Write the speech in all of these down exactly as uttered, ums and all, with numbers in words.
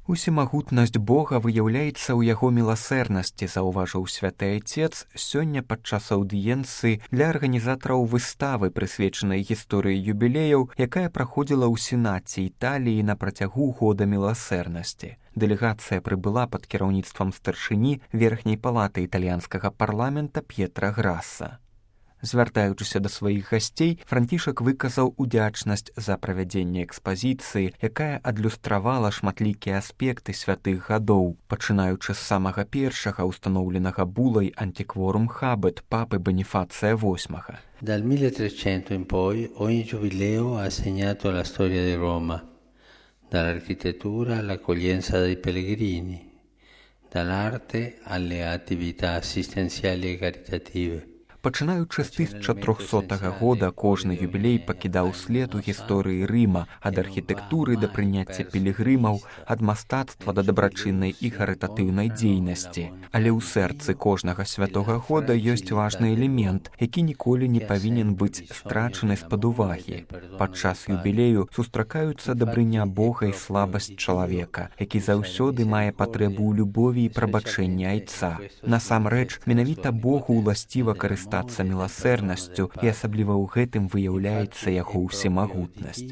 Усемагутнасць Бога выяўляецца ў яго міласэрнасці, заўважыў святы айцец сёння падчас аўдыенцыі для арганізатараў выставы, прысвечанай гісторыі юбілеяў, якая праходзіла ў сенаце Італіі на працягу года міласэрнасці. Дэлегацыя прыбыла пад кіраўніцтвам старшыні верхняй палаты італьянскага парламента П'етра Граса. Звяртаючыся да сваіх гасцей, Францішак выказаў удзячнасць за правядзенне экспазіцыі, якая адлюстравала шматлікія аспекты святых гадоў, пачынаючы з самага першага устаноўленага булай антикворум хабет папы Боніфація восьмага. Dal milletrecento in poi ogni giubileo ha segnato la storia di Roma, dall'architettura all'accoglienza dei pellegrini, dall'arte alle attività assistenziali e caritative. Пачынаючы з тысяча трохсотага года кожны юбілей пакідаў след у гісторыі Рыма, ад архітэктуры да прыняцця пілігрымаў, ад мастацтва да дабрачыннай і харытатыўнай дзейнасці. Але ў сэрцы кожнага святога года ёсць важны элемент, які ніколі не павінен быць страчаны з-пад увагі. Падчас юбілею сустракаюцца дабрыня Бога і слабасць чалавека, які заўсёды мае патрэбу ў любові і прабачэнні айца. Насамрэч, менавіта Богу ўласціва карыстацца міласэрнасцю, і асабліва ў гэтым выяўляецца яго ўсемагутнасць.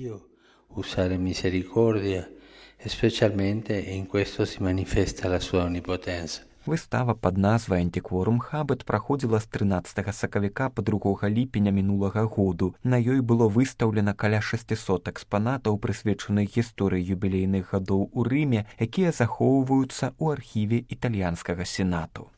Usare misericordia, specialmente in questo si manifesta la sua onnipotenza. Выстава пад назвай «Антикворум хабет» праходзіла з трынаццатага сакавіка па другога ліпеня мінулага году. На ёй было выстаўлена каля шасцісот экспанатаў, прысвечаных гісторыі юбілейных гадоў у Рыме, якія захоўваюцца ў архіве італьянскага сенату.